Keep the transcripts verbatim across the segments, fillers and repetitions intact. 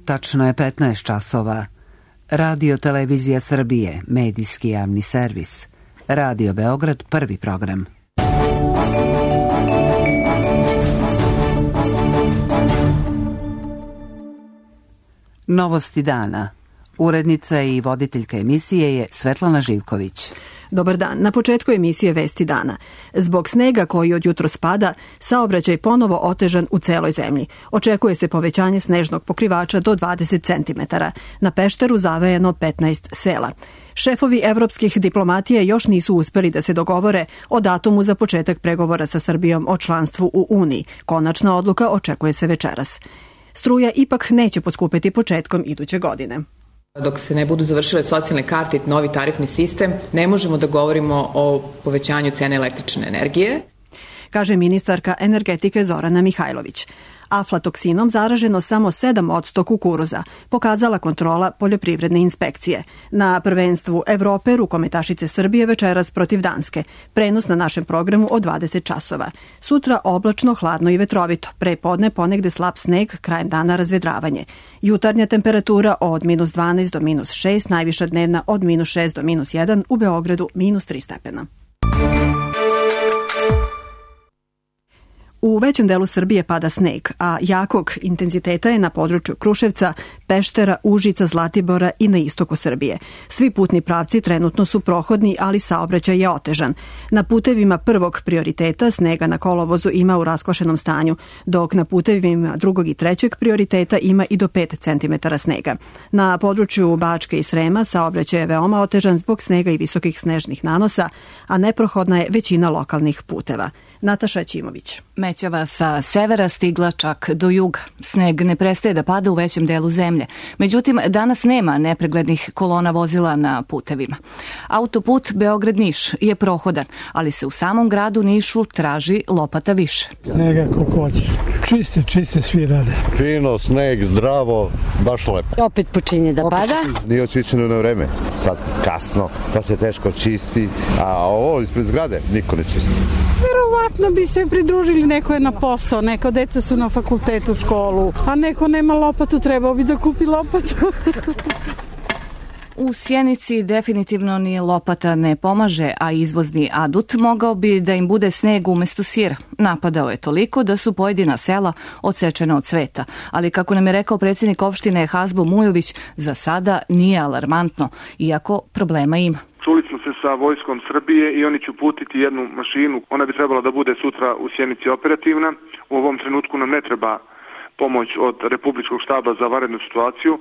Tačno je petnaest časova. Radio Televizija Srbije, medijski javni servis. Radio Beograd, prvi program. Novosti dana. Urednica i voditeljka emisije je Svetlana Živković. Dobar dan. Na početku emisije Vesti dana. Zbog snega koji od jutros pada, saobraćaj ponovo otežan u celoj zemlji. Očekuje se povećanje snežnog pokrivača do dvadeset centimetara. Na Pešteru zavejano petnaest sela. Šefovi evropskih diplomatije još nisu uspeli da se dogovore o datumu za početak pregovora sa Srbijom o članstvu u Uniji. Konačna odluka očekuje se večeras. Struja ipak neće poskupeti početkom iduće godine. Dok se ne budu završile socijalne karte i novi tarifni sistem, ne možemo da govorimo o povećanju cene električne energije, kaže ministarka energetike Zorana Mihajlović. Aflatoksinom zaraženo samo sedam posto kukuruza, pokazala kontrola poljoprivredne inspekcije. Na prvenstvu Evrope rukometašice Srbije večeras protiv Danske. Prenos na našem programu od dvadeset časova. Sutra oblačno, hladno i vetrovito. Pre podne ponegde slab sneg, krajem dana razvedravanje. Jutarnja temperatura od minus dvanaest do minus šest, najviša dnevna od minus šest do minus jedan, u Beogradu minus tri stepena. U većem delu Srbije pada sneg, a jakog intenziteta je na području Kruševca, Peštera, Užica, Zlatibora i na istoku Srbije. Svi putni pravci trenutno su prohodni, ali saobraćaj je otežan. Na putevima prvog prioriteta snega na kolovozu ima u raskvašenom stanju, dok na putevima drugog i trećeg prioriteta ima i do pet centimetara snega. Na području Bačke i Srema saobraćaj je veoma otežan zbog snega i visokih snežnih nanosa, a neprohodna je većina lokalnih puteva. Nataša Ćimović. Mećava sa severa stigla čak do juga. Sneg ne prestaje da pada u većem delu zemlje. Međutim, danas nema nepreglednih kolona vozila na putevima. Autoput Beograd-Niš je prohodan, ali se u samom gradu Nišu traži lopata više. Snega koliko hoćeš. Čiste, čiste svi rade. Fino, sneg, zdravo, baš lepo. Opet počinje da pada. Nije očišćeno na vreme. Sad kasno, pa se teško čisti. A ovo ispred zgrade niko ne čisti. Verovatno bi se pridružili, neko je na posao, neko deca su na fakultetu, školu, a neko nema lopatu, trebao bi da kupi lopatu. U Sjenici definitivno ni lopata ne pomaže, a izvozni adut mogao bi da im bude sneg umesto sira. Napadao je toliko da su pojedina sela odsečena od cveta, ali kako nam je rekao predsjednik opštine Hazbo Mujović, za sada nije alarmantno, iako problema ima. Čuli smo se sa Vojskom Srbije i oni će uputiti jednu mašinu. Ona bi trebala da bude sutra u Sjenici operativna. U ovom trenutku nam ne treba pomoć od Republičkog štaba za vanrednu situaciju,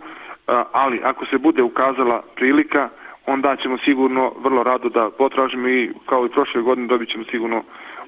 ali ako se bude ukazala prilika, onda ćemo sigurno vrlo rado da potražimo i kao i prošle godine dobit ćemo sigurno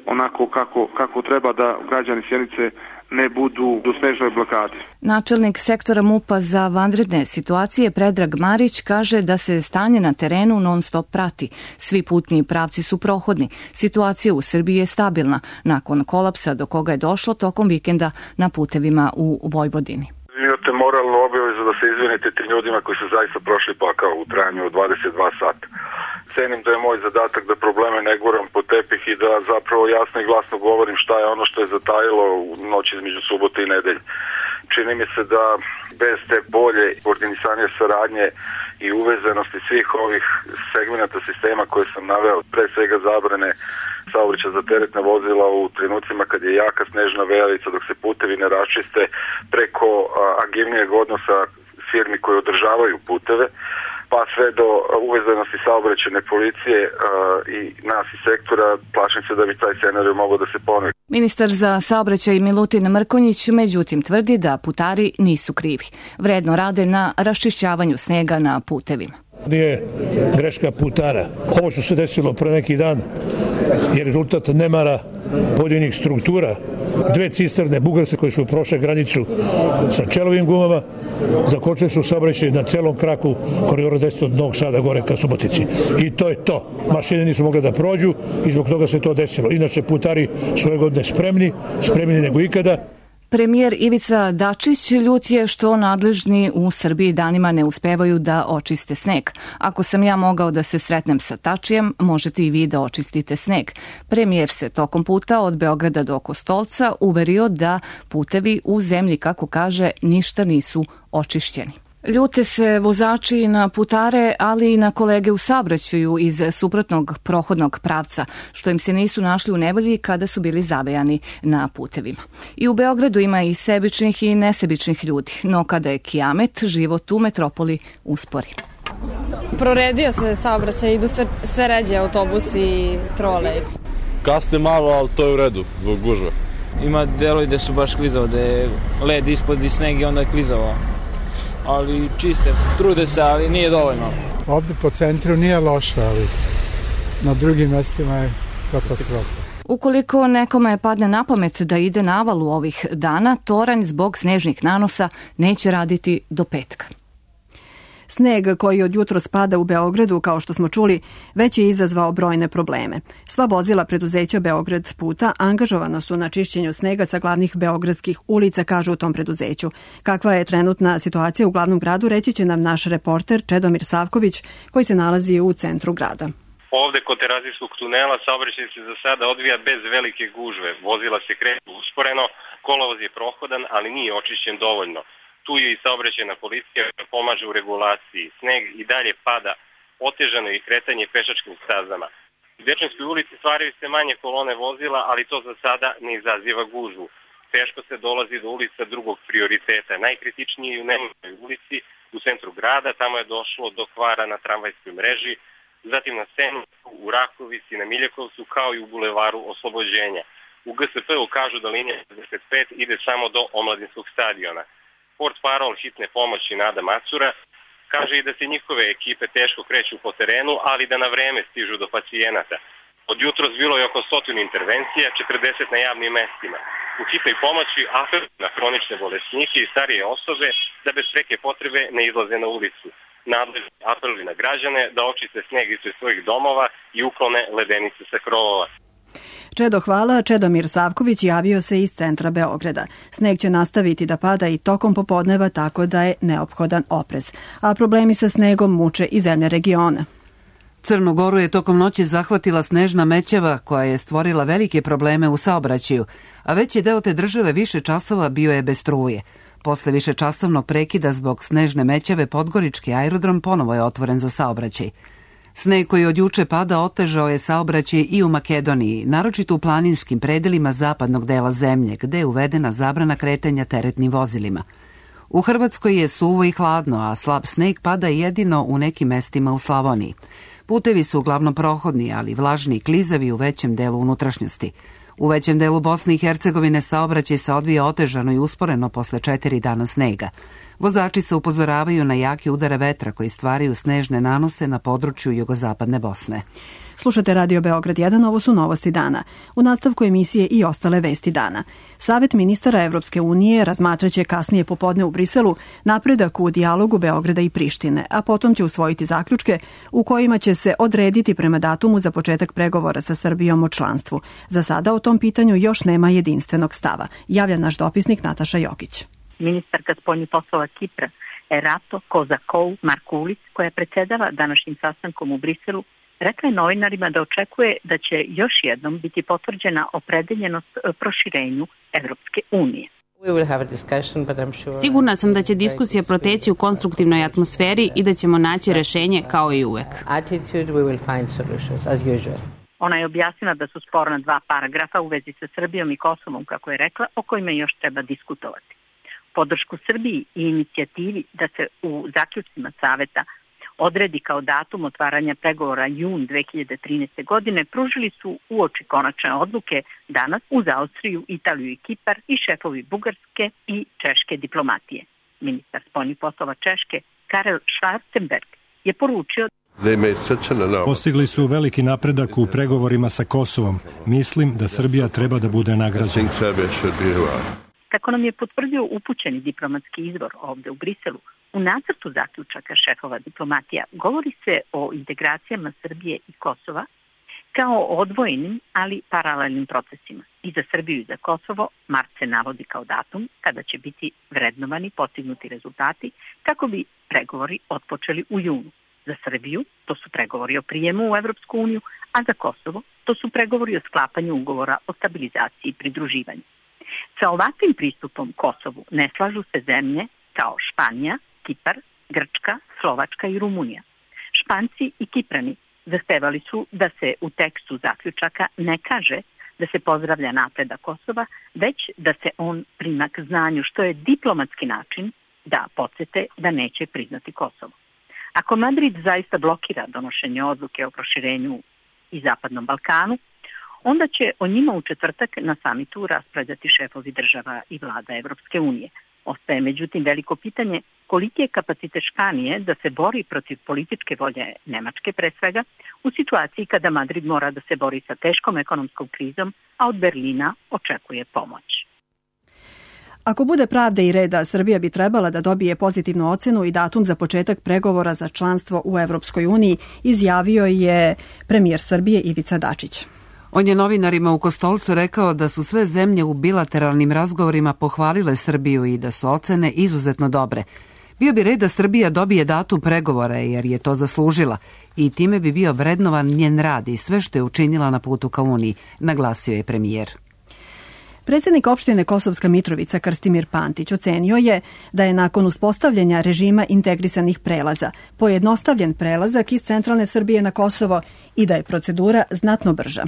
onako kako, kako treba da građani Sjenice ne budu u snežnoj blokadi. Načelnik sektora MUP-a za vanredne situacije Predrag Marić kaže da se stanje na terenu non stop prati. Svi putni pravci su prohodni. Situacija u Srbiji je stabilna nakon kolapsa do koga je došlo tokom vikenda na putevima u Vojvodini. Imate moralnu obavezu da se izvinite tim ljudima koji su zaista prošli pakao u trajanju od dvadeset dva sata. Cenim da je moj zadatak da probleme ne guram po tepih i da zapravo jasno i glasno govorim šta je ono što je zatajilo u noći između subote i nedelje. Čini mi se da bez te bolje koordinacije saradnje i uvezanosti svih ovih segmenata sistema koje sam naveo, pre svega zabrane saobraćaja za teretna vozila u trenucima kad je jaka snežna vejalica, dok se putevi ne raščiste, preko agilnijeg odnosa firmi koje održavaju puteve, pa sve do uvezanosti saobraćajne policije uh, i nas iz sektora, plašim se da bi taj scenarij mogao da se ponovi. Ministar za saobraćaj Milutin Mrkonjić međutim tvrdi da putari nisu krivi. Vredno rade na raščišćavanju snega na putevima. Nije greška putara. Ovo što se desilo pre neki dan je rezultat nemara pojedinih struktura. Dve cisterne bugarske koje su prošle granicu sa čelovim gumama, zakočili su saobraćaj na celom kraku koridora deset od Novog Sada gore ka Subotici. I to je to. Mašine nisu mogle da prođu i zbog toga se to desilo. Inače, putari su ove godine spremni, spremni nego ikada. Premijer Ivica Dačić ljut je što nadležni u Srbiji danima ne uspevaju da očiste sneg. Ako sam ja mogao da se sretnem sa Tačijem, možete i vi da očistite sneg. Premijer se tokom puta od Beograda do Kostolca uverio da putevi u zemlji, kako kaže, ništa nisu očišćeni. Ljute se vozači na putare, ali i na kolege u saobraćaju iz suprotnog prohodnog pravca, što im se nisu našli u nevolji kada su bili zavejani na putevima. I u Beogradu ima i sebičnih i nesebičnih ljudi, no kada je kijamet, život u metropoli uspori. Proredio se saobraćaj, idu sve, sve ređe autobusi i trole. Kasne malo, ali to je u redu, zbog gužve. Ima delovi gde su baš klizao, gde je led ispod i sneg i onda je klizao. Ali čiste, trude se, ali nije dovoljno. Ovde po centru nije loše, ali na drugim mestima je katastrofa. Ukoliko nekome padne na pamet da ide na avalu ovih dana, toranj zbog snežnih nanosa neće raditi do petka. Sneg koji od jutro spada u Beogradu, kao što smo čuli, već je izazvao brojne probleme. Sva vozila preduzeća Beograd puta angažovana su na čišćenju snega sa glavnih beogradskih ulica, kažu u tom preduzeću. Kakva je trenutna situacija u glavnom gradu, reći će nam naš reporter Čedomir Savković, koji se nalazi u centru grada. Ovde kod Terazijskog tunela saobraćaj se za sada odvija bez velike gužve. Vozila se kreću usporeno, kolovoz je prohodan, ali nije očišćen dovoljno. Tu je i saobraćajna policija pomaže u regulaciji. Sneg i dalje pada, otežano je kretanje pešačkim stazama. U Dečanskoj ulici stvaraju se manje kolone vozila, ali to za sada ne izaziva gužvu. Teško se dolazi do ulica drugog prioriteta. Najkritičniji je u Nemanjoj ulici, u centru grada, tamo je došlo do kvara na tramvajskoj mreži, zatim na Senu, u Rakovici, na Miljakovcu, kao i u bulevaru Oslobođenja. U G S P-u kažu da linija šezdeset pet ide samo do Omladinskog stadiona. Port parol hitne pomoći Nada Macura kaže i da se njihove ekipe teško kreću po terenu, ali da na vreme stižu do pacijenata. Od jutros bilo je oko stotinu intervencija, četrdeset na javnim mestima. U hitnoj pomoći apeluju na hronične bolesnike i starije osobe da bez preke potrebe ne izlaze na ulicu. Nadležni apeluju na građane da očiste sneg ispred svojih domova i uklone ledenice sa krovova. Čedo, hvala. Čedomir Savković javio se iz centra Beograda. Sneg će nastaviti da pada i tokom popodneva, tako da je neophodan oprez. A problemi sa snegom muče i zemlje regiona. Crnu Goru je tokom noći zahvatila snežna mećava koja je stvorila velike probleme u saobraćaju, a veći deo te države više časova bio je bez struje. Posle višečasovnog prekida zbog snežne mećave Podgorički aerodrom ponovo je otvoren za saobraćaj. Sneg koji od juče pada otežao je saobraćaj i u Makedoniji, naročito u planinskim predelima zapadnog dela zemlje, gde je uvedena zabrana kretanja teretnim vozilima. U Hrvatskoj je suvo i hladno, a slab sneg pada jedino u nekim mestima u Slavoniji. Putevi su uglavnom prohodni, ali vlažni i klizavi u većem delu unutrašnjosti. U većem delu Bosne i Hercegovine saobraćaj se odvija otežano i usporeno posle četiri dana snega. Vozači se upozoravaju na jake udare vetra koji stvaraju snežne nanose na području jugozapadne Bosne. Slušate Radio Beograd jedan, ovo su novosti dana. U nastavku emisije i ostale vesti dana. Savet ministara Evropske unije razmatraće kasnije popodne u Briselu napredak u dijalogu Beograda i Prištine, a potom će usvojiti zaključke u kojima će se odrediti prema datumu za početak pregovora sa Srbijom o članstvu. Za sada o tom pitanju još nema jedinstvenog stava, javlja naš dopisnik Nataša Jokić. Ministarka spoljnih poslova Kipra Erato Kozakou Markulis, koja predsedava današnjim sastankom u Briselu, rekla je novinarima da očekuje da će još jednom biti potvrđena opredeljenost proširenju Evropske unije. Sigurna sam da će diskusija proteći u konstruktivnoj atmosferi i da ćemo naći rešenje kao i uvek. Ona je objasnila da su sporna dva paragrafa u vezi sa Srbijom i Kosovom, kako je rekla, o kojima još treba diskutovati. Podršku Srbiji i inicijativi da se u zaključcima saveta odredi kao datum otvaranja pregovora jun dve hiljade trinaeste. godine pružili su uoči konačne odluke danas uz Austriju, Italiju i Kipar i šefovi bugarske i češke diplomatije. Ministar spoljnih poslova Češke Karel Schwarzenberg je poručio: Postigli su veliki napredak u pregovorima sa Kosovom. Mislim da Srbija treba da bude nagrađena. Kako nam je potvrdio upućeni diplomatski izvor ovde u Briselu, u nacrtu zaključaka šefova diplomatija govori se o integracijama Srbije i Kosova kao odvojenim, ali paralelnim procesima. I za Srbiju i za Kosovo mart se navodi kao datum kada će biti vrednovani postignuti rezultati kako bi pregovori otpočeli u junu. Za Srbiju to su pregovori o prijemu u Evropsku uniju, a za Kosovo to su pregovori o sklapanju ugovora o stabilizaciji i pridruživanju. Sa ovakvim pristupom Kosovu ne slažu se zemlje kao Španija, Kipar, Grčka, Slovačka i Rumunija. Španci i Kiprani zahtevali su da se u tekstu zaključaka ne kaže da se pozdravlja napredak Kosova, već da se on prima k znanju, što je diplomatski način da podsete da neće priznati Kosovo. Ako Madrid zaista blokira donošenje odluke o proširenju i Zapadnom Balkanu, onda će o njima u četvrtak na samitu raspravljati šefovi država i vlada Evropske unije. Ostaje međutim veliko pitanje koliki je kapacitet Španije da se bori protiv političke volje Nemačke pre svega u situaciji kada Madrid mora da se bori sa teškom ekonomskom krizom, a od Berlina očekuje pomoć. Ako bude pravde i reda, Srbija bi trebala da dobije pozitivnu ocenu i datum za početak pregovora za članstvo u Evropskoj uniji, izjavio je premijer Srbije Ivica Dačić. On je novinarima u Kostolcu rekao da su sve zemlje u bilateralnim razgovorima pohvalile Srbiju i da su ocene izuzetno dobre. Bio bi red da Srbija dobije datum pregovora jer je to zaslužila i time bi bio vrednovan njen rad i sve što je učinila na putu ka Uniji, naglasio je premijer. Predsjednik opštine Kosovska Mitrovica Krstimir Pantić ocenio je da je nakon uspostavljanja režima integrisanih prelaza pojednostavljen prelazak iz centralne Srbije na Kosovo i da je procedura znatno brža.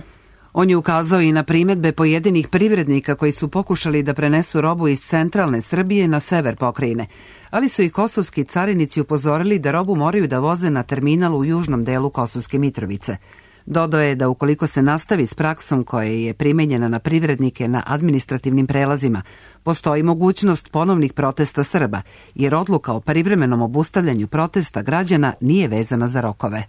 On je ukazao i na primedbe pojedinih privrednika koji su pokušali da prenesu robu iz centralne Srbije na sever pokrajine, ali su i kosovski carinici upozorili da robu moraju da voze na terminal u južnom delu Kosovske Mitrovice. Dodao je da ukoliko se nastavi s praksom koja je primenjena na privrednike na administrativnim prelazima, postoji mogućnost ponovnih protesta Srba, jer odluka o privremenom obustavljanju protesta građana nije vezana za rokove.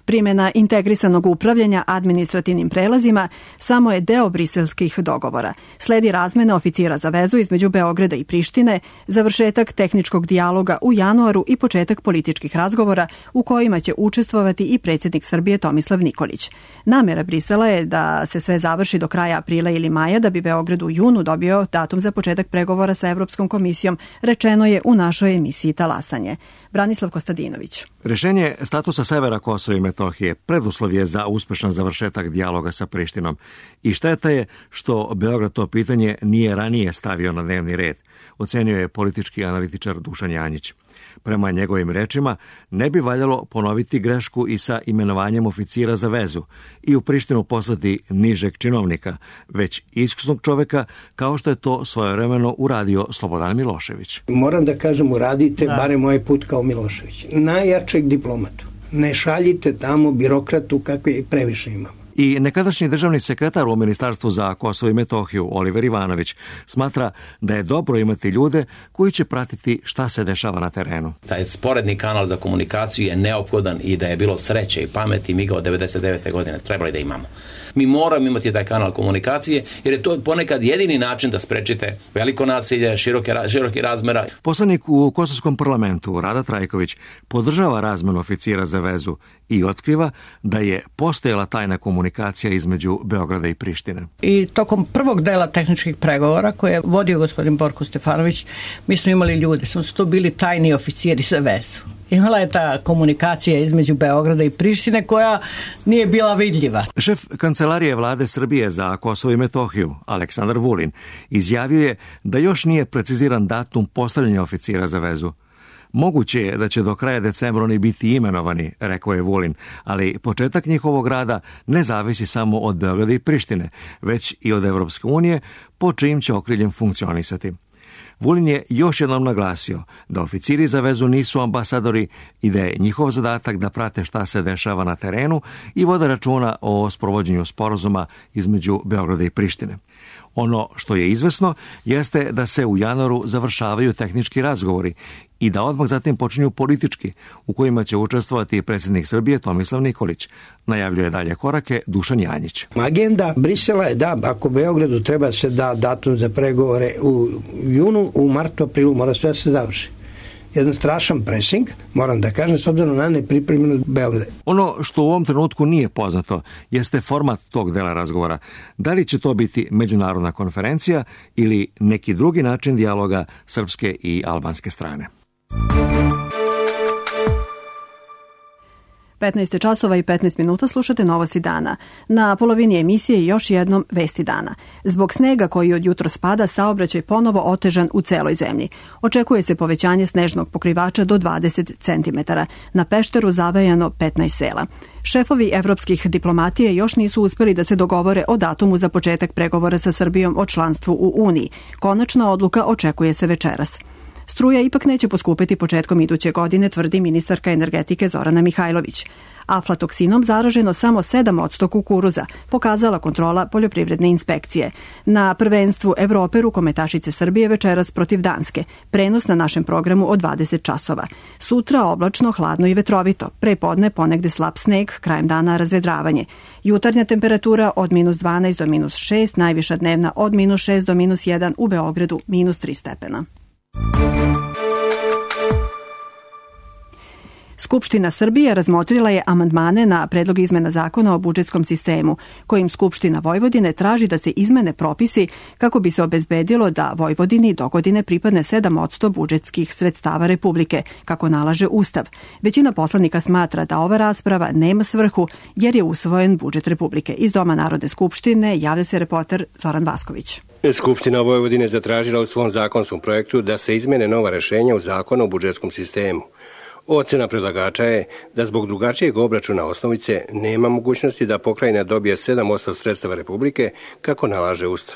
Primjena integrisanog upravljanja administrativnim prelazima samo je deo briselskih dogovora. Sledi razmena oficira za vezu između Beograda i Prištine, završetak tehničkog dijaloga u januaru i početak političkih razgovora u kojima će učestvovati i predsjednik Srbije Tomislav Nikolić. Namjera Brisela je da se sve završi do kraja aprila ili maja, da bi Beograd u junu dobio datum za početak pregovora sa Evropskom komisijom, rečeno je u našoj emisiji Talasanje. Branislav Kostadinović. Rešenje statusa severa Kosova i Metohije preduslov je za uspešan završetak dijaloga sa Prištinom i šteta je što Beograd to pitanje nije ranije stavio na dnevni red, ocenio je politički analitičar Dušan Janjić. Prema njegovim rečima, ne bi valjalo ponoviti grešku i sa imenovanjem oficira za vezu i u Prištinu poslati nižeg činovnika, već iskusnog čoveka kao što je to svojevremeno uradio Slobodan Milošević. Moram da kažem, uradite da. barem ovaj put kao Milošević. Najjačeg diplomatu. Ne šaljite tamo birokratu kakve previše imamo. I nekadašnji državni sekretar u Ministarstvu za Kosovo i Metohiju, Oliver Ivanović, smatra da je dobro imati ljude koji će pratiti šta se dešava na terenu. Taj sporedni kanal za komunikaciju je neophodan i da je bilo sreće i pameti, mi ga od devedeset devete godine trebali da imamo. Mi moramo imati taj kanal komunikacije jer je to ponekad jedini način da sprečite veliko nasilje, široke, široke razmera. Poslanik u Kosovskom parlamentu, Rada Trajković, podržava razmenu oficira za vezu i otkriva da je postojala tajna komunikacija između Beograda i Prištine. I tokom prvog dela tehničkih pregovora koje je vodio gospodin Borko Stefanović, mi smo imali ljude, smo su to bili tajni oficiri za vezu. Imala je ta komunikacija između Beograda i Prištine koja nije bila vidljiva. Šef kancelarije vlade Srbije za Kosovo i Metohiju, Aleksandar Vulin, izjavio je da još nije preciziran datum postavljanja oficira za vezu. Moguće je da će do kraja decembra oni biti imenovani, rekao je Vulin, ali početak njihovog rada ne zavisi samo od Beograda i Prištine, već i od Evropske unije, po čijim će okriljem funkcionisati. Vulin je još jednom naglasio da oficiri za vezu nisu ambasadori i da je njihov zadatak da prate šta se dešava na terenu i vode računa o sprovođenju sporazuma između Beograda i Prištine. Ono što je izvesno jeste da se u januaru završavaju tehnički razgovori i da odmah zatim počinju politički, u kojima će učestvovati predsjednik Srbije Tomislav Nikolić. Najavljuje dalje korake Dušan Janjić. Agenda Brisela je da ako Beogradu treba se da datum za pregovore u junu, u martu, aprilu mora sve se završi. jedan strašan presing, moram da kažem, s obzirom na nepripremljenost Beograda. Ono što u ovom trenutku nije poznato jeste format tog dela razgovora. Da li će to biti međunarodna konferencija ili neki drugi način dijaloga srpske i albanske strane. petnaest časova i petnaest minuta slušate Novosti dana. Na polovini emisije još jednom Vesti dana. Zbog snega koji od jutro spada, saobraćaj ponovo otežan u celoj zemlji. Očekuje se povećanje snežnog pokrivača do dvadeset centimetara. Na Pešteru zavejano petnaest sela. Šefovi evropskih diplomatije još nisu uspeli da se dogovore o datumu za početak pregovora sa Srbijom o članstvu u Uniji. Konačna odluka očekuje se večeras. Struja ipak neće poskupiti početkom iduće godine, tvrdi ministarka energetike Zorana Mihajlović. Aflatoksinom zaraženo samo sedam posto kukuruza, pokazala kontrola poljoprivredne inspekcije. Na prvenstvu Evrope rukometašice Srbije večeras protiv Danske. Prenos na našem programu od dvadeset časova. Sutra oblačno, hladno i vetrovito. Pre podne ponegde slab sneg, krajem dana razvedravanje. Jutarnja temperatura od minus dvanaest do minus šest, najviša dnevna od minus šest do minus jedan, u Beogradu minus tri stepena. Skupština Srbije razmotrila je amandmane na predlog izmena zakona o budžetskom sistemu, kojim Skupština Vojvodine traži da se izmene propisi kako bi se obezbedilo da Vojvodini dogodine pripadne sedam posto budžetskih sredstava Republike, kako nalaže Ustav. Većina poslanika smatra da ova rasprava nema svrhu jer je usvojen budžet Republike. Iz Doma Narodne skupštine javlja se reporter Zoran Vasković. Skupština Vojvodine zatražila u svom zakonskom projektu da se izmene nova rešenja u zakonu o budžetskom sistemu. Ocena predlagača je da zbog drugačijeg obračuna osnovice nema mogućnosti da pokrajina dobije sedam posto sredstava Republike kako nalaže Ustav.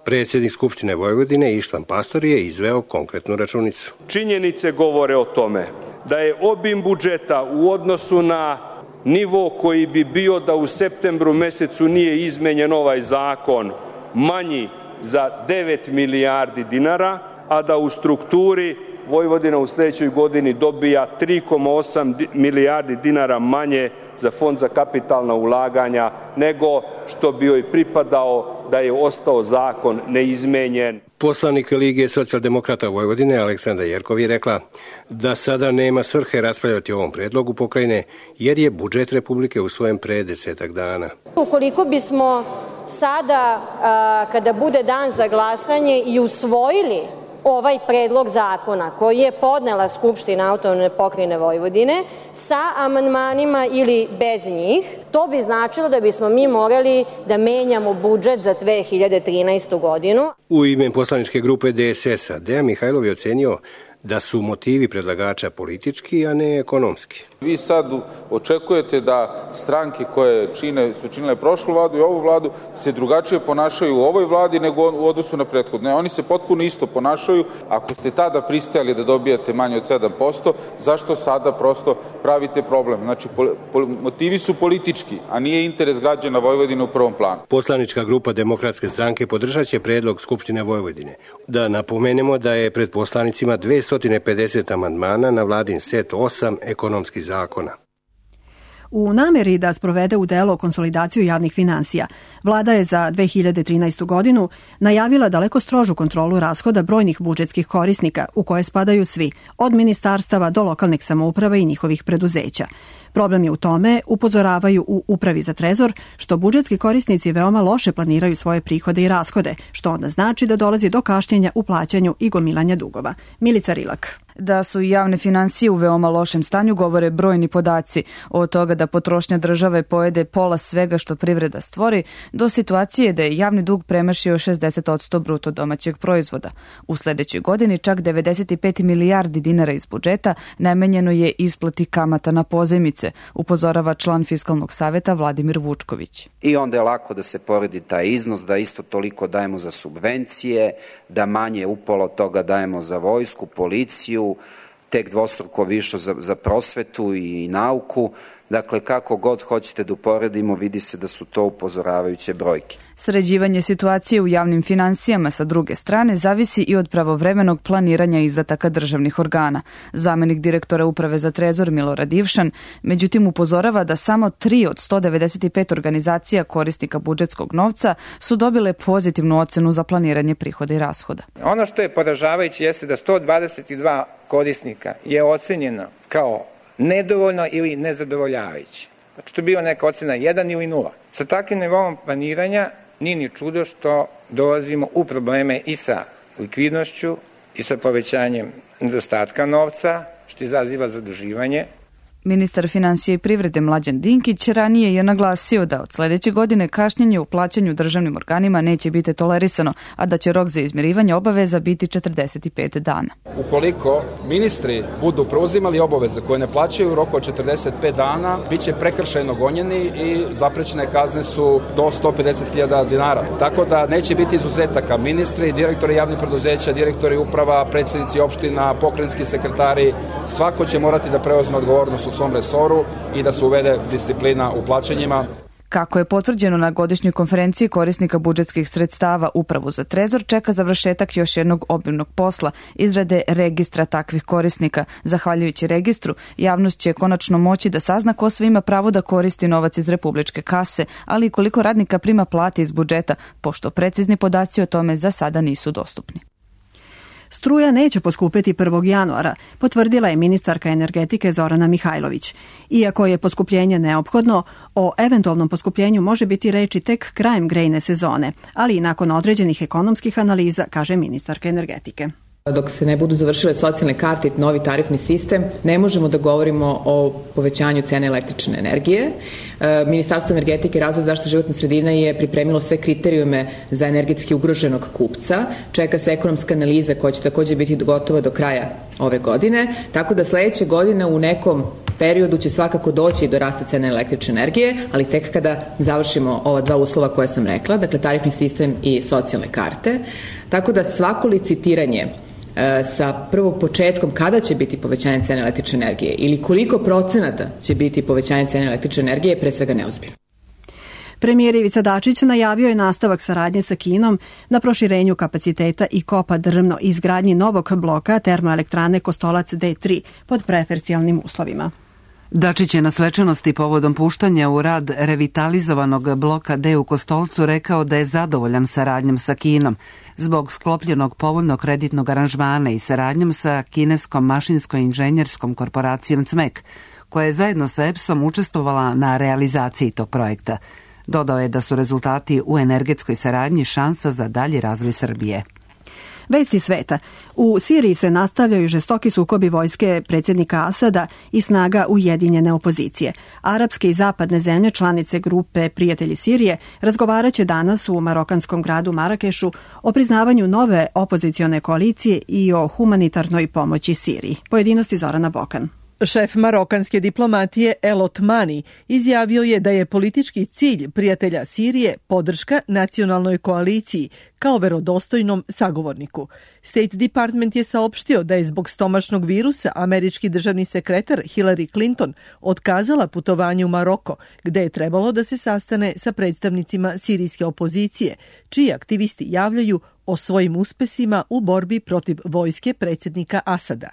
Predsjednik Skupštine Vojvodine Ištvan Pastor je izveo konkretnu računicu. Činjenice govore o tome da je obim budžeta u odnosu na nivo koji bi bio da u septembru mesecu nije izmenjen ovaj zakon manji za devet milijardi dinara, a da u strukturi Vojvodina u sljedećoj godini dobija tri zarez osam milijardi dinara manje za fond za kapitalna ulaganja nego što bi joj pripadao da je ostao zakon neizmenjen. Poslanik Lige socijaldemokrata Vojvodine Aleksandra Jerkov je rekla da sada nema svrhe raspravljati o ovom predlogu pokrajine jer je budžet Republike usvojen pre desetak dana. Ukoliko bismo sada, kada bude dan za glasanje, i usvojili ovaj predlog zakona koji je podnela Skupština Autonomne pokrajine Vojvodine sa amandmanima ili bez njih, to bi značilo da bismo mi morali da menjamo budžet za dve hiljade trinaestu godinu. U ime poslaničke grupe D S S-a Dejan Mihajlov je ocenio da su motivi predlagača politički, a ne ekonomski. Vi sad očekujete da stranke koje čine, su činile prošlu vladu i ovu vladu se drugačije ponašaju u ovoj vladi nego u odnosu na prethodne. Oni se potpuno isto ponašaju. Ako ste tada pristali da dobijate manje od sedam posto, zašto sada prosto pravite problem? Znači, po, po, motivi su politički, a nije interes građana Vojvodine u prvom planu. Poslanička grupa Demokratske stranke podržaće predlog Skupštine Vojvodine. Da napomenemo da je pred poslanicima dvesta pedeset amandmana na vladin set osam ekonomskih zakona. U nameri da sprovede u delo konsolidaciju javnih finansija, vlada je za dve hiljade trinaestu godinu najavila daleko strožu kontrolu rashoda brojnih budžetskih korisnika, u koje spadaju svi, od ministarstava do lokalnih samouprava i njihovih preduzeća. Problem je u tome, upozoravaju u Upravi za trezor, što budžetski korisnici veoma loše planiraju svoje prihode i rashode, što onda znači da dolazi do kašnjenja u plaćanju i gomilanja dugova. Milica Rilak. Da su javne finansije u veoma lošem stanju govore brojni podaci, od toga da potrošnja države pojede pola svega što privreda stvori, do situacije da je javni dug premašio šezdeset posto bruto domaćeg proizvoda. U sledećoj godini čak devedeset pet milijardi dinara iz budžeta namenjeno je isplati kamata na pozajmice, upozorava član Fiskalnog saveta Vladimir Vučković. I onda je lako da se poredi taj iznos, da isto toliko dajemo za subvencije, da manje upola od toga dajemo za vojsku, policiju, tek dvostruko više za, za prosvetu i nauku. Dakle, kako god hoćete da uporedimo, vidi se da su to upozoravajuće brojke. Sređivanje situacije u javnim finansijama sa druge strane zavisi i od pravovremenog planiranja izdataka državnih organa. Zamenik direktora Uprave za trezor Milorad Ivšan, međutim, upozorava da samo tri od sto devedeset pet organizacija korisnika budžetskog novca su dobile pozitivnu ocenu za planiranje prihoda i rashoda. Ono što je poražavajuće jeste da sto dvadeset dva korisnika je ocenjeno kao nedovoljno ili nezadovoljavajuće. Znači, to je bila neka ocena jedan ili nula. Sa takvim nivom planiranja nije ni čudo što dolazimo u probleme i sa likvidnošću i sa povećanjem nedostatka novca, što izaziva zaduživanje. Ministar finansija i privrede Mlađan Dinkić ranije je naglasio da od sledeće godine kašnjenje u plaćanju državnim organima neće biti tolerisano, a da će rok za izmirivanje obaveza biti četrdeset pet dana. Ukoliko ministri budu preuzimali obaveze koje ne plaćaju u roku od četrdeset pet dana, bit će prekršajno gonjeni i zaprećene kazne su do sto pedeset hiljada dinara. Tako da neće biti izuzetaka. Ministri, direktori javnih preduzeća, direktori uprava, predsjednici opština, pokrajinski sekretari, svako će morati da preuzme odgovornost u svom resoru i da se uvede disciplina u plaćanjima. Kako je potvrđeno na godišnjoj konferenciji korisnika budžetskih sredstava, Upravu za trezor čeka završetak još jednog obimnog posla, izrade registra takvih korisnika. Zahvaljujući registru, javnost će konačno moći da sazna ko sve ima pravo da koristi novac iz republičke kase, ali i koliko radnika prima plate iz budžeta, pošto precizni podaci o tome za sada nisu dostupni. Struja neće poskupeti prvog januara, potvrdila je ministarka energetike Zorana Mihajlović. Iako je poskupljenje neophodno, o eventualnom poskupljenju može biti reči tek krajem grejne sezone, ali i nakon određenih ekonomskih analiza, kaže ministarka energetike. Dok se ne budu završile socijalne karte i novi tarifni sistem, ne možemo da govorimo o povećanju cene električne energije. Ministarstvo energetike i razvoja zaštite životne sredine je pripremilo sve kriterijume za energetski ugroženog kupca. Čeka se ekonomska analiza koja će također biti gotova do kraja ove godine, tako da sledeće godine u nekom periodu će svakako doći do rasta cene električne energije, ali tek kada završimo ova dva uslova koje sam rekla, dakle tarifni sistem i socijalne karte. Tako da svako licitiranje sa prvo početkom kada će biti povećanje cene električne energije ili koliko procenata će biti povećanje cene električne energije je pre svega neozbiljno. Premijer Ivica Dačić najavio je nastavak saradnje sa Kinom na proširenju kapaciteta i kopa drvno i izgradnji novog bloka termoelektrane Kostolac D tri pod preferencijalnim uslovima. Dačić je na svečanosti povodom puštanja u rad revitalizovanog bloka D u Kostolcu rekao da je zadovoljan saradnjom sa Kinom zbog sklopljenog povoljnog kreditnog aranžmana i saradnjom sa kineskom mašinsko-inženjerskom korporacijom C M E K, koja je zajedno sa E P S-om učestvovala na realizaciji tog projekta. Dodao je da su rezultati u energetskoj saradnji šansa za dalji razvoj Srbije. Vesti sveta. U Siriji se nastavljaju žestoki sukobi vojske predsjednika Asada i snaga ujedinjene opozicije. Arapske i zapadne zemlje, članice grupe Prijatelji Sirije, razgovaraće danas u marokanskom gradu Marakešu o priznavanju nove opozicione koalicije i o humanitarnoj pomoći Siriji. Pojedinosti Zorana Bokan. Šef marokanske diplomatije El Otmani izjavio je da je politički cilj prijatelja Sirije podrška nacionalnoj koaliciji kao verodostojnom sagovorniku. State Department je saopštio da je zbog stomačnog virusa američki državni sekretar Hillary Clinton otkazala putovanje u Maroko, gde je trebalo da se sastane sa predstavnicima sirijske opozicije, čiji aktivisti javljaju o svojim uspesima u borbi protiv vojske predsjednika Asada.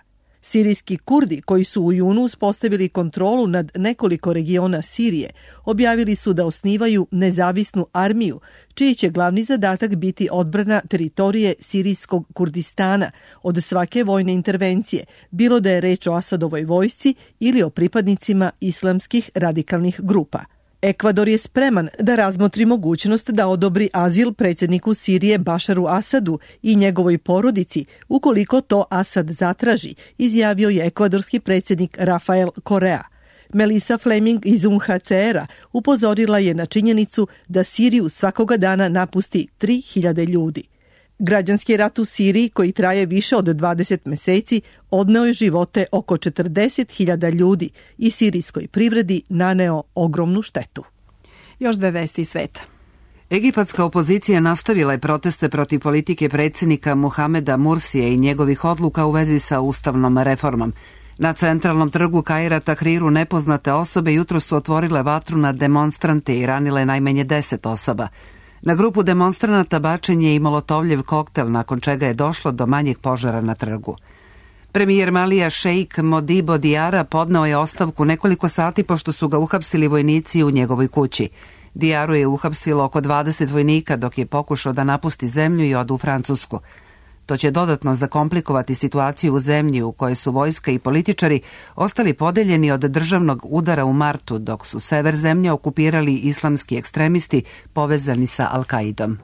Sirijski Kurdi, koji su u junu uspostavili kontrolu nad nekoliko regiona Sirije, objavili su da osnivaju nezavisnu armiju, čiji će glavni zadatak biti odbrana teritorije sirijskog Kurdistana od svake vojne intervencije, bilo da je reč o Asadovoj vojsci ili o pripadnicima islamskih radikalnih grupa. Ekvador je spreman da razmotri mogućnost da odobri azil predsjedniku Sirije Bašaru Asadu i njegovoj porodici, ukoliko to Asad zatraži, izjavio je ekvadorski predsjednik Rafael Correa. Melissa Fleming iz U N H C R-a upozorila je na činjenicu da Siriju svakoga dana napusti tri hiljade ljudi. Građanski rat u Siriji, koji traje više od dvadeset meseci, odneo je živote oko četrdeset hiljada ljudi i sirijskoj privredi naneo ogromnu štetu. Još dve vesti iz sveta. Egipatska opozicija nastavila je proteste protiv politike predsjednika Muhameda Mursije i njegovih odluka u vezi sa ustavnom reformom. Na centralnom trgu Kaira Tahriru nepoznate osobe jutro su otvorile vatru na demonstrante i ranile najmanje deset osoba. Na grupu demonstranata bačen je i molotovljev koktel, nakon čega je došlo do manjeg požara na trgu. Premijer Malija Šeik Modibo Diara podneo je ostavku nekoliko sati pošto su ga uhapsili vojnici u njegovoj kući. Diaru je uhapsilo oko dvadeset vojnika dok je pokušao da napusti zemlju i ode u Francusku. To će dodatno zakomplikovati situaciju u zemlji u kojoj su vojska i političari ostali podeljeni od državnog udara u martu, dok su sever zemlje okupirali islamski ekstremisti povezani sa Al-Kaidom.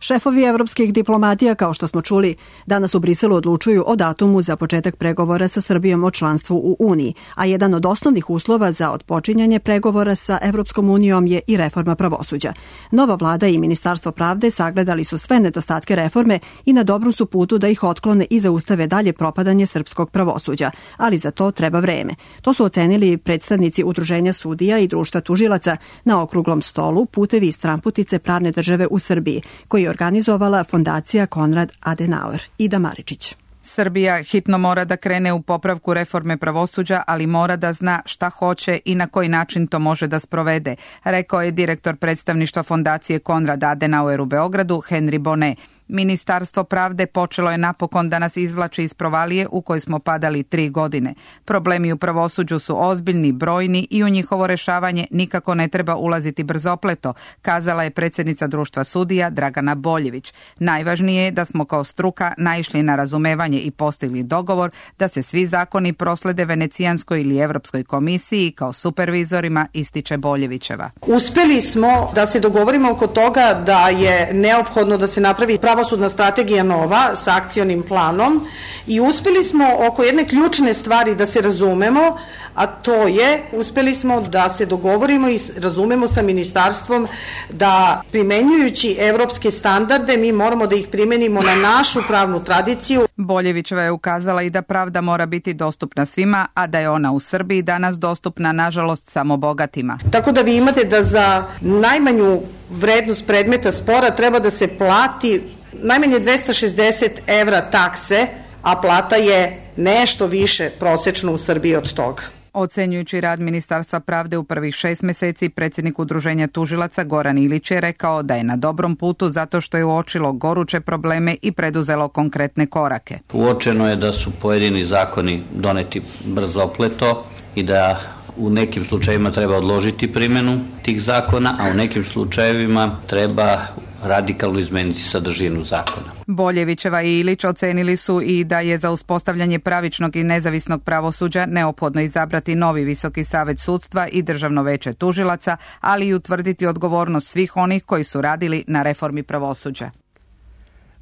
Šefovi evropskih diplomatija, kao što smo čuli, danas u Briselu odlučuju o datumu za početak pregovora sa Srbijom o članstvu u Uniji, a jedan od osnovnih uslova za otpočinjanje pregovora sa Evropskom unijom je i reforma pravosuđa. Nova vlada i Ministarstvo pravde sagledali su sve nedostatke reforme i na dobrom su putu da ih otklone i zaustave dalje propadanje srpskog pravosuđa, ali za to treba vreme. To su ocenili predstavnici Udruženja sudija i Društva tužilaca na okruglom stolu Putevi i stramputice pravne države u Srbiji, koji je organizovala fondacija Konrad Adenauer. Ida Maričić. Srbija hitno mora da krene u popravku reforme pravosuđa, ali mora da zna šta hoće i na koji način to može da sprovede, rekao je direktor predstavništva fondacije Konrad Adenauer u Beogradu, Henry Bonnet. Ministarstvo pravde počelo je napokon da nas izvlači iz provalije u kojoj smo padali tri godine. Problemi u pravosuđu su ozbiljni, brojni i u njihovo rešavanje nikako ne treba ulaziti brzopleto, kazala je predsjednica Društva sudija Dragana Boljević. Najvažnije je da smo kao struka naišli na razumevanje i postigli dogovor da se svi zakoni proslede Venecijanskoj ili Evropskoj komisiji kao supervizorima, ističe Boljevićeva. Uspeli smo da se dogovorimo oko toga da je neophodno da se napravi pravosudna strategija nova sa akcionim planom i uspeli smo oko jedne ključne stvari da se razumemo, a to je, uspeli smo da se dogovorimo i razumemo sa ministarstvom da primenjujući evropske standarde mi moramo da ih primenimo na našu pravnu tradiciju. Boljevićeva je ukazala i da pravda mora biti dostupna svima, a da je ona u Srbiji danas dostupna, nažalost, samo bogatima. Tako da vi imate da za najmanju vrednost predmeta spora treba da se plati najmanje dvesta šezdeset evra takse, a plata je nešto više prosečno u Srbiji od toga. Ocenjujući rad Ministarstva pravde u prvih šest meseci, predsjednik Udruženja tužilaca Goran Ilić je rekao da je na dobrom putu zato što je uočilo goruće probleme i preduzelo konkretne korake. Uočeno je da su pojedini zakoni doneti brzopleto i da u nekim slučajevima treba odložiti primjenu tih zakona, a u nekim slučajevima treba radikalno izmeniti sadržinu zakona. Boljevićeva i Ilić ocenili su i da je za uspostavljanje pravičnog i nezavisnog pravosuđa neophodno izabrati novi Visoki savet sudstva i Državno veće tužilaca, ali i utvrditi odgovornost svih onih koji su radili na reformi pravosuđa.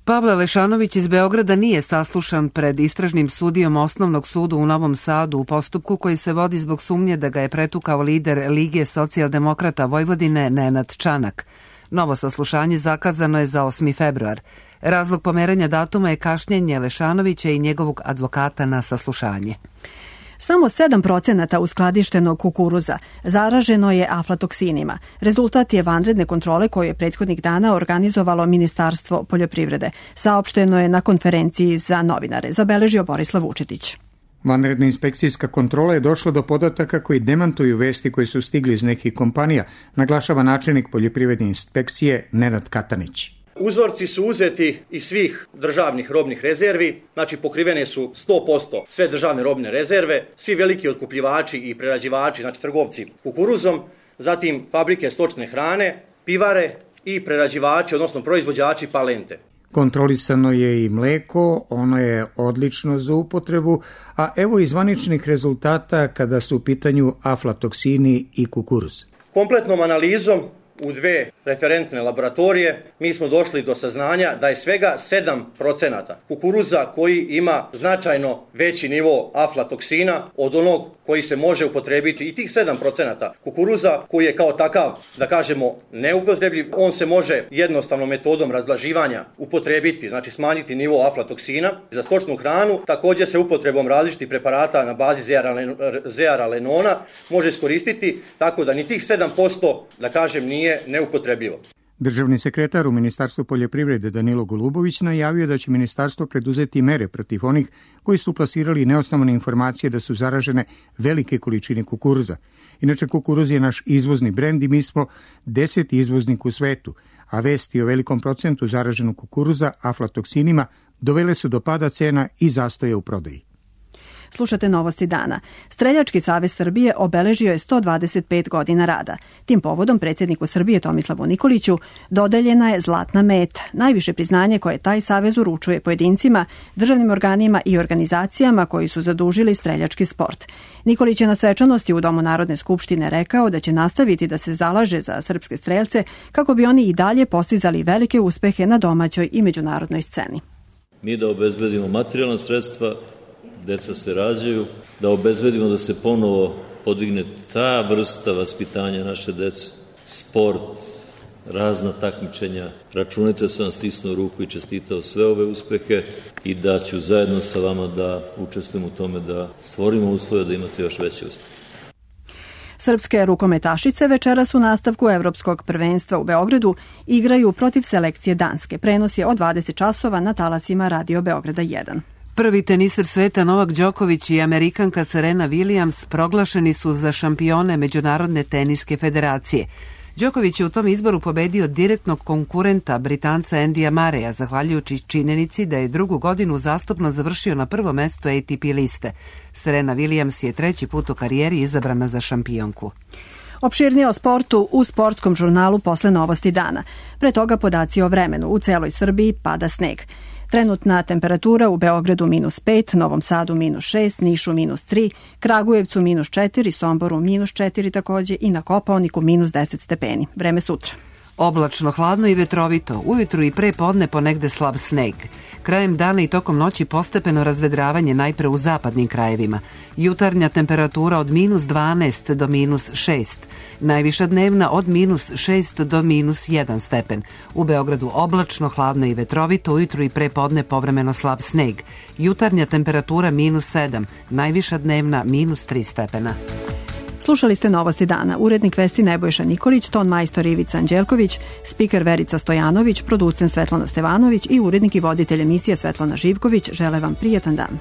Pavle Lešanović iz Beograda nije saslušan pred istražnim sudijom Osnovnog suda u Novom Sadu u postupku koji se vodi zbog sumnje da ga je pretukao lider Lige socijaldemokrata Vojvodine Nenad Čanak. Novo saslušanje zakazano je za osmi februar. Razlog pomeranja datuma je kašnjenje Lešanovića i njegovog advokata na saslušanje. Samo sedam procenata uskladištenog kukuruza zaraženo je aflatoksinima. Rezultat je vanredne kontrole koju je prethodnih dana organizovalo Ministarstvo poljoprivrede. Saopšteno je na konferenciji za novinare, zabeležio Borislav Vučetić. Vanredna inspekcijska kontrola je došla do podataka koji demantuju vesti koji su stigli iz nekih kompanija, naglašava načelnik poljoprivredne inspekcije Nenad Katanić. Uzorci su uzeti iz svih državnih robnih rezervi, znači pokrivene su sto posto sve državne robne rezerve, svi veliki otkupljivači i prerađivači, znači trgovci kukuruzom, zatim fabrike stočne hrane, pivare i prerađivači, odnosno proizvođači palente. Kontrolisano je i mleko, ono je odlično za upotrebu, a evo i zvaničnih rezultata kada su u pitanju aflatoksini i kukuruz. Kompletnom analizom u dve referentne laboratorije mi smo došli do saznanja da je svega sedam procenata kukuruza koji ima značajno veći nivo aflatoksina od onog koji se može upotrebiti, i tih sedam procenata kukuruza koji je kao takav, da kažemo, neupotrebljiv, on se može jednostavnom metodom razblaživanja upotrebiti, znači smanjiti nivo aflatoksina. Za stočnu hranu također se upotrebom različitih preparata na bazi zearalenona može iskoristiti, tako da ni tih sedam posto, da kažem, nije neupotrebljivo. Državni sekretar u Ministarstvu poljoprivrede Danilo Golubović najavio da će ministarstvo preduzeti mere protiv onih koji su plasirali neosnovane informacije da su zaražene velike količine kukuruza. Inače, kukuruz je naš izvozni brend i mi smo deseti izvoznik u svetu, a vesti o velikom procentu zaraženog kukuruza aflatoksinima dovele su do pada cena i zastoja u prodaji. Slušate Novosti dana. Streljački savez Srbije obeležio je sto dvadeset pet godina rada. Tim povodom predsjedniku Srbije Tomislavu Nikoliću dodeljena je Zlatna meta, najviše priznanje koje taj savez uručuje pojedincima, državnim organima i organizacijama koji su zadužili streljački sport. Nikolić je na svečanosti u Domu Narodne skupštine rekao da će nastaviti da se zalaže za srpske strelce kako bi oni i dalje postizali velike uspehe na domaćoj i međunarodnoj sceni. Mi da obezbedimo materijalna sredstva, deca se rađaju, da obezbedimo da se ponovo podigne ta vrsta vaspitanja naše dece, sport, razna takmičenja. Računajte da sam vam stisnuo ruku i čestitao sve ove uspehe i da ću zajedno sa vama da učestvujem u tome da stvorimo uslove da imate još veće uspehe. Srpske rukometašice večeras u nastavku Evropskog prvenstva u Beogradu igraju protiv selekcije Danske. Prenos je od dvadeset časova na talasima Radio Beograda jedan. Prvi teniser sveta Novak Đoković i Amerikanka Serena Williams proglašeni su za šampione Međunarodne teniske federacije. Đoković je u tom izboru pobedio direktnog konkurenta Britanca Andyja Murraya, zahvaljujući činjenici da je drugu godinu uzastopno završio na prvo mesto A T P liste. Serena Williams je treći put u karijeri izabrana za šampionku. Opširnije o sportu u sportskom žurnalu posle Novosti dana. Pre toga podaci o vremenu. U celoj Srbiji pada sneg. Trenutna temperatura u Beogradu minus pet, Novom Sadu minus šest, Nišu minus tri, Kragujevcu minus četiri, Somboru minus četiri takođe i na Kopaoniku minus deset stepeni. Vreme sutra. Oblačno, hladno i vetrovito, ujutru i pre podne ponegde slab sneg. Krajem dana i tokom noći postepeno razvedravanje najpre u zapadnim krajevima. Jutarnja temperatura od minus dvanaest do minus šest. Najviša dnevna od minus šest do minus jedan stepen. U Beogradu oblačno, hladno i vetrovito, ujutru i pre podne povremeno slab sneg. Jutarnja temperatura minus sedam, najviša dnevna minus tri stepena. Slušali ste Novosti dana. Urednik vesti Nebojša Nikolić, ton majstor Ivica Anđelković, spiker Verica Stojanović, producent Svetlana Stevanović i urednik i voditelj emisije Svetlana Živković žele vam prijetan dan.